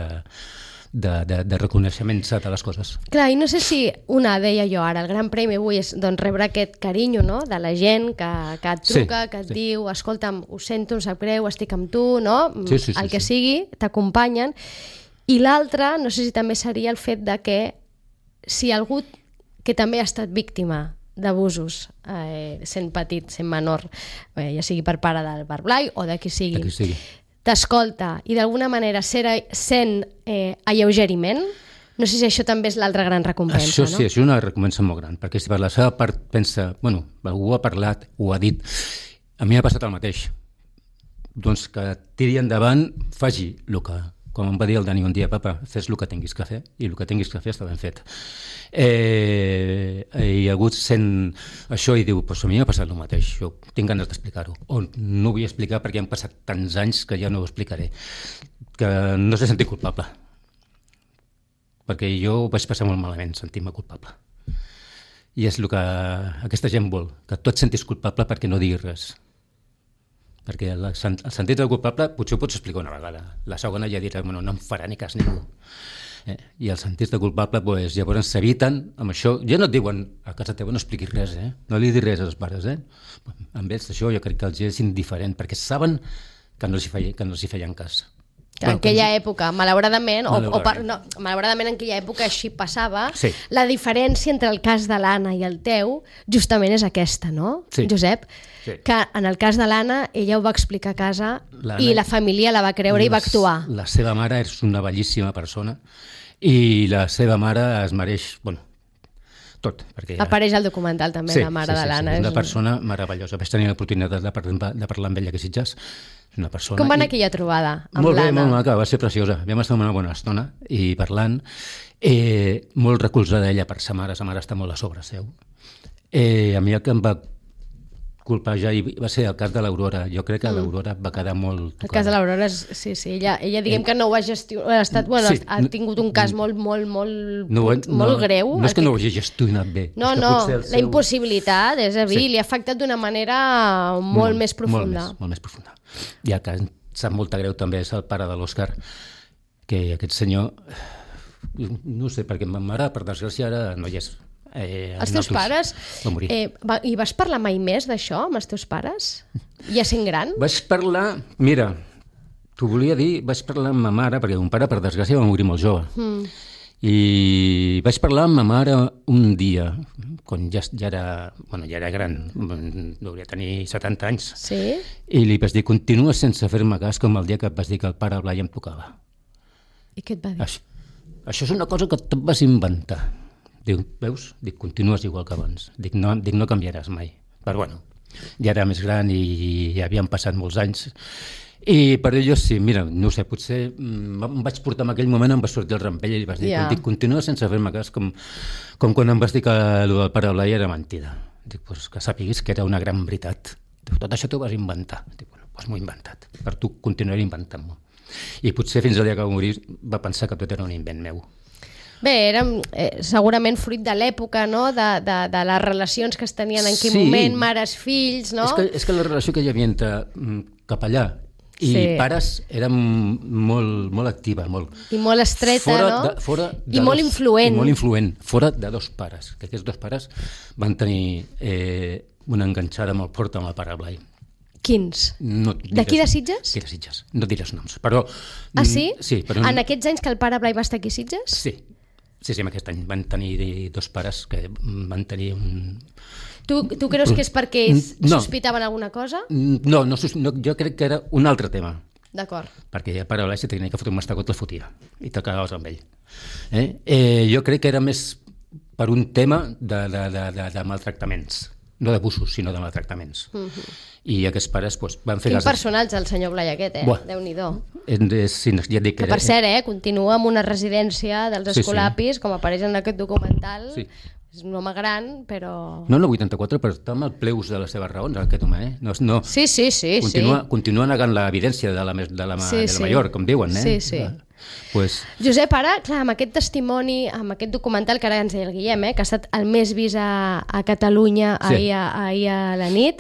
de reconeixement de les coses. Clar, i no sé si deia jo ara, el gran premi avui és rebre aquest carinyo, no?, de la gent que et truca, que et diu, escolta'm, ho sento, em sap greu, estic amb tu, no? El que sigui, t'acompanyen. I l'altre, no sé si també seria el fet de que si algú que també ha estat víctima d'abusos, sent petit, sent menor, ja sigui per pare del Bar Blai o de qui sigui, t'escolta i d'alguna manera sent alleugeriment, no sé si això també és l'altra gran recompensa, això, no? Sí, això és una recompensa molt gran, perquè si per la seva part pensa, algú ha parlat, ho ha dit, a mi m'ha passat el mateix. Doncs que tiri endavant, faci el que... Com em va dir el Dani un dia, papa, fes el que tinguis que fer, i el que tinguis que fer està ben fet. I algú sent això i diu, pues a mi m'ha passat el mateix, jo tinc ganes d'explicar-ho, o no ho vull explicar perquè han passat tants anys que ja no ho explicaré, que no sé sentir culpable, perquè jo ho vaig passar molt malament, sentir-me culpable. I és el que aquesta gent vol, que tu et sentis culpable perquè no diguis res. Perquè el sentit del culpable potser ho pots explicar una vegada, la segona ja dirà, no em farà ni cas ningú. I el sentit del culpable, llavors s'eviten amb això, ja no et diuen a casa teva no expliquis res, no li dis res als pares, amb ells això jo crec que els és indiferent, perquè saben que no els hi feien cas. En aquella època, malauradament, malauradament en aquella època així passava, la diferència entre el cas de l'Anna i el teu justament és aquesta, no, Josep? Que en el cas de l'Anna, ella ho va explicar a casa i la família la va creure i va actuar. La seva mare és una bellíssima persona i la seva mare es mereix, tot. Apareix al documental també, la mare de l'Anna. És una persona meravellosa. Vaig tenir l'oportunitat de parlar amb ella que Sitges. Com va anar aquella trobada amb l'Anna? Molt bé, molt maca, va ser preciosa. Vam estar una bona estona i parlant. Molt recolzada ella per sa mare està molt a sobre seu. A mi el que em va colpejar va ser el cas de l'Aurora. Jo crec que l'Aurora va quedar molt tocada. El cas de l'Aurora, sí, ella diguem que no ho ha gestionat, ha tingut un cas molt greu. No és que no ho hagi gestionat bé. No, la impossibilitat, és a dir, li ha afectat d'una manera molt més profunda. Molt més profunda. I el que em sap molta greu també és el pare de l'Òscar, que aquest senyor, no sé, perquè ma mare, per desgràcia, ara no hi és. Els teus pares... Va morir. I vas parlar mai més d'això amb els teus pares? Ja sent gran? Vaig parlar... Mira, t'ho volia dir, vaig parlar amb ma mare, perquè mon pare, per desgràcia, va morir molt jove. I vaig parlar amb ma mare un dia, quan ja era gran, hauria tenir 70 anys. Sí? I li vaig dir, continues sense fer-me cas com el dia que et vas dir que el pare Blai em tocava. I què et va dir? Això és una cosa que et vas inventar. Diu, veus? Dic, continues igual que abans. Dic, no canviaràs mai. Però bueno, ja era més gran i ja havien passat molts anys. I per ells sí, mira, no sé, potser em vaig portar en aquell moment, em va sortir el rampell i li vas dir, dic, continua sense fer-me cas, com quan em vas dir que el del pare Blai era mentida. Dic, pues que sàpiguis que era una gran veritat. Dic, tot això t'ho vas inventar. Dic, bueno, doncs m'ho he inventat. Per tu continuaré inventant-m'ho. I potser fins al dia que va morir va pensar que tot era un invent meu. Bé, era segurament fruit de l'època, no? De les relacions que es tenien en aquell moment, mares-fills, no? És que la relació que hi havia entre capellà i pares era molt activa, molt. I molt estreta, I molt influent. I molt influent, fora de dos pares, que aquests dos pares van tenir una enganxada molt forta amb el pare Blai. Quins? D'aquí de Sitges? D'aquí de Sitges, no diré els noms, però... Ah, sí? Sí. Però en aquests anys que el pare Blai va estar aquí a Sitges? Sí, en aquest any van tenir dos pares que van tenir un... Tu creus que és perquè ells sospitaven alguna cosa? No, jo crec que era un altre tema. D'acord. Perquè el pare Blai, si tenia que fotre un mastegot, la fotia, i te quedaves amb ell. Jo crec que era més per un tema de maltractaments. No d'abusos, sinó de maltractaments. I aquests pares van fer... Quin personatge el senyor Blai aquest, Déu-n'hi-do. Sí, ja et dic que per cert, continua en una residència dels Escolapis, com apareix en aquest documental. Sí. És un home gran, però... No, 84, però està amb el pleus de les seves raons, aquest home, Sí. Continua negant l'evidència de la major, com diuen, Sí. Josep, ara, clar, amb aquest testimoni, amb aquest documental que ara ens deia el Guillem, que ha estat el més vist a Catalunya ahir a la nit,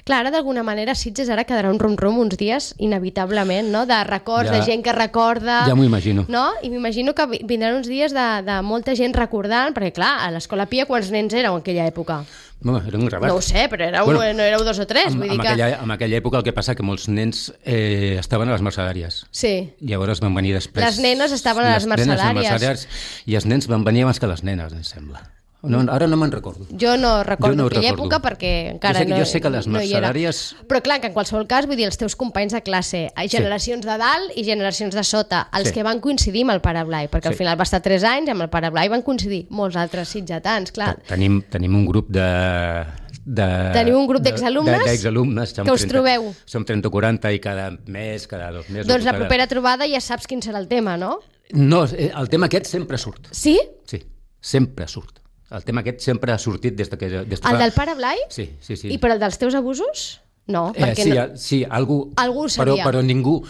clar, ara d'alguna manera Sitges ara quedarà un rum-rum uns dies, inevitablement, no? De records, de gent que recorda... Ja m'ho imagino. No? I m'imagino que vindran uns dies de molta gent recordant, perquè clar, a l'Escola Pia quants nens éreu en aquella època? No, era un gravat. No ho sé, però no éreu 2 o 3. En aquella època el que passa que molts nens estaven a les mercedàries. Sí. Llavors van venir després... Les nenes estaven a les mercedàries. I els nens van venir abans que les nenes, em sembla. No, ara no me'n recordo. Jo no recordo aquella època perquè encara jo sé que les mercedàries... Però clar, que en qualsevol cas, vull dir, els teus companys de classe, generacions de dalt i generacions de sota, els que van coincidir amb el pare Blai, perquè al final va estar 3 anys, amb el pare Blai van coincidir molts altres sitgetans, clar. Tenim un grup Teniu un grup d'exalumnes que us trobeu. Som 30 o 40 i cada mes, cada 2 mesos... Doncs la propera trobada ja saps quin serà el tema, no? No, el tema aquest sempre surt. Sí? Sí, sempre surt. El tema aquest sempre ha sortit des que... El del pare Blai? Sí. I per el dels teus abusos? No, perquè sí, algú sabia. Però ningú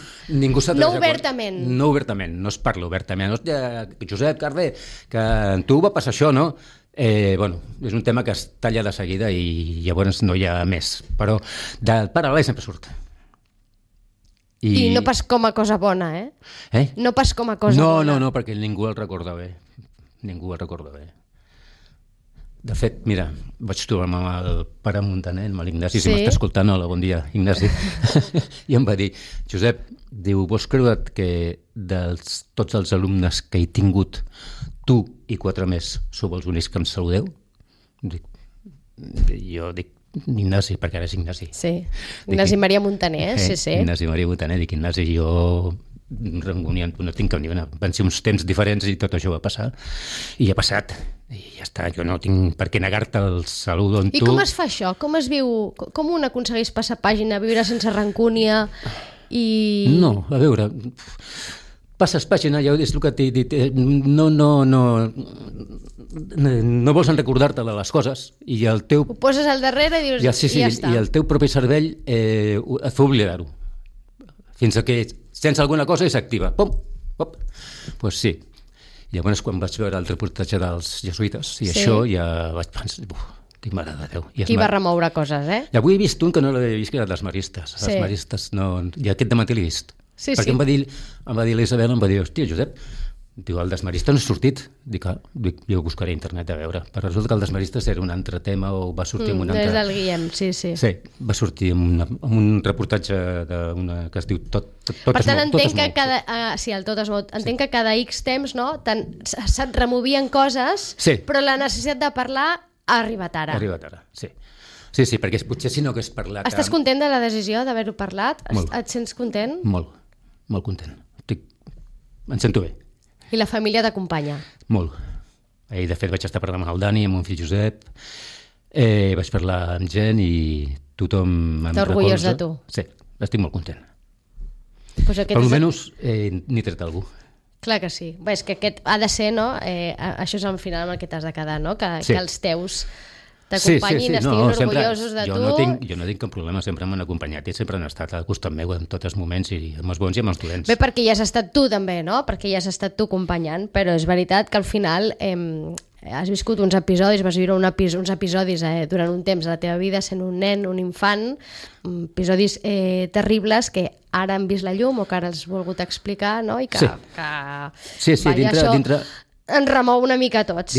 s'ha... No obertament. No obertament, no es parla obertament. Josep, Carver, que en tu va passar això, no? És un tema que es talla de seguida i llavors no hi ha més. Però del pare Blai sempre surt. I no pas com a cosa bona, No pas com a cosa bona. No, perquè ningú el recorda bé. De fet, mira, vaig trobar-me amb el pare Montaner, amb l'Ignasi, si m'està escoltant, hola, bon dia, Ignasi, i em va dir, Josep, diu, vols creure't que tots els alumnes que he tingut, tu i 4 més, sou els únics que em saludeu? Jo dic, Ignasi, perquè ara és Ignasi. Sí, Ignasi Maria Montaner, sí. Ignasi Maria Montaner, dic, Ignasi, jo no tinc cap ni una. Van ser uns temps diferents i tot això va passar. I ha passat. I ja està, jo no tinc per què negar-te el salut on tu... I com es fa això? Com es viu? Com un aconsegueix passar pàgina, viure sense rancúnia i... No, a veure... Passes pàgina, ja és el que t'he dit, no vols recordar-te de les coses i el teu... Ho poses al darrere i dius, ja està. I el teu propi cervell et fa oblidar-ho. Fins que sents alguna cosa i s'activa. Pum! Doncs sí. Llavors, quan vaig veure el reportatge dels jesuïtes i això, ja vaig pensar... Dic, mare de Déu. Qui va remoure coses, I avui he vist un que no l'havia vist, que era dels maristes. Els maristes no... I aquest dematí l'he vist. Perquè em va dir l'Isabel, em va dir, hòstia, Josep, Diu, el desmarista no ha sortit. Dic, jo ho buscaré a internet a veure. Però resulta que el desmarista era un altre tema o va sortir en un altre... Des del Guillem, sí. Sí, va sortir en un reportatge que es diu Tot es mou. Per tant, entenc que el Tot es mou. Entenc que cada X temps, no, se't removien coses, però la necessitat de parlar ha arribat ara. Ha arribat ara, sí. Sí, perquè potser si no hagués parlat... Estàs content de la decisió d'haver-ho parlat? Molt. Et sents content? Molt content. Em sento bé. I la família t'acompanya? Molt. Ahir, de fet, vaig estar parlant amb el Dani, amb mon fill Josep, vaig parlar amb gent i tothom em recolza. T'orgullós de tu? Sí, estic molt content. Pues per almenys n'he tret algú. Clar que sí. Bé, és que aquest ha de ser, no? Això és al final amb el que t'has de quedar, no? Que els teus t'acompanyin, estiguin orgullosos de tu. Jo no tinc cap problema, sempre m'han acompanyat i sempre han estat al costat meu en tots els moments, i amb els bons i amb els dolents. Bé, perquè ja has estat tu també, no? Perquè ja has estat tu acompanyant, però és veritat que al final has viscut uns episodis, vas viure uns episodis durant un temps de la teva vida sent un nen, un infant, episodis terribles que ara han vist la llum o que ara has volgut explicar, no? I que dintre ens remou una mica a tots.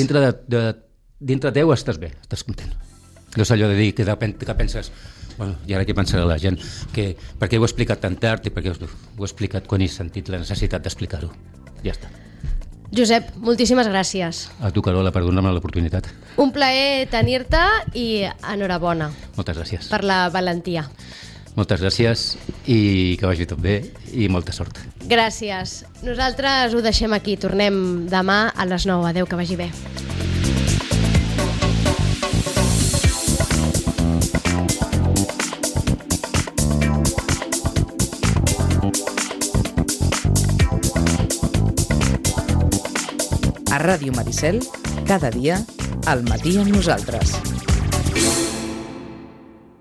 Dintre teu estàs bé, estàs content. No és allò de dir que penses, bueno, i ara què pensarà la gent? Per què ho he explicat tan tard i per què ho he explicat quan he sentit la necessitat d'explicar-ho? Ja està. Josep, moltíssimes gràcies. A tu, Carola, per donar-me l'oportunitat. Un plaer tenir-te i enhorabona. Moltes gràcies. Per la valentia. Moltes gràcies i que vagi tot bé i molta sort. Gràcies. Nosaltres ho deixem aquí. Tornem demà a les 9. Adéu, que vagi bé. A Ràdio Maricel, cada dia, al matí amb nosaltres.